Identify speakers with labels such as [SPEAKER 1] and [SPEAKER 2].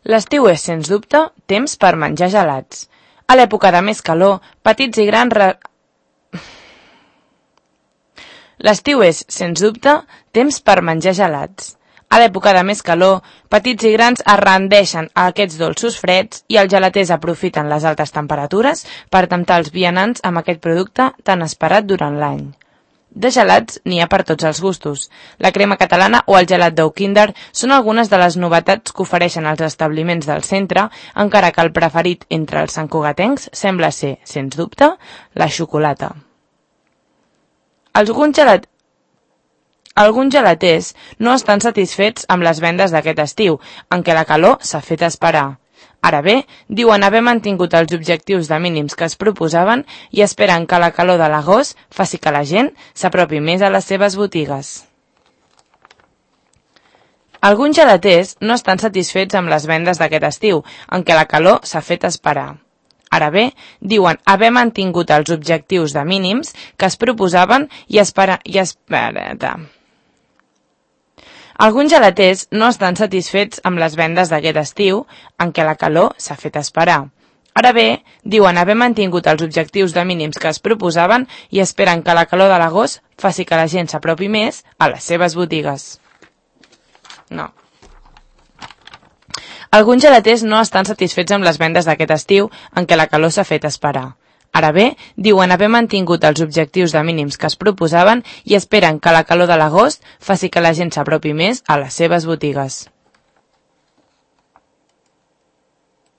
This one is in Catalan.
[SPEAKER 1] L'estiu és, sens dubte, temps per menjar gelats. A l'època de més calor, petits i grans... L'estiu és, sens dubte, temps per menjar gelats. A l'època de més calor, petits i grans es rendeixen a aquests dolços freds i els gelaters aprofiten les altes temperatures per temptar els vianants amb aquest producte tan esperat durant l'any. De gelats n'hi ha per tots els gustos. La crema catalana o el gelat d'ou Kinder són algunes de les novetats que ofereixen els establiments del centre, encara que el preferit entre els santcugatencs sembla ser, sens dubte, la xocolata. Alguns gelaters no estan satisfets amb les vendes d'aquest estiu, en què la calor s'ha fet esperar. Ara bé, diuen haver mantingut els objectius de mínims que es proposaven i esperen que la calor de l'agost faci que la gent s'apropi més a les seves botigues. Alguns gelaters no estan satisfets amb les vendes d'aquest estiu, en què la calor s'ha fet esperar. Ara bé, diuen haver mantingut els objectius de mínims que es proposaven i Alguns gelaters no estan satisfets amb les vendes d'aquest estiu, en què la calor s'ha fet esperar. Ara bé, diuen haver mantingut els objectius de mínims que es proposaven i esperen que la calor de l'agost faci que la gent s'apropi més a les seves botigues. No. Alguns gelaters no estan satisfets amb les vendes d'aquest estiu, en què la calor s'ha fet esperar. Ara bé, diuen haver mantingut els objectius de mínims que es proposaven i esperen que la calor de l'agost faci que la gent s'apropi més a les seves botigues.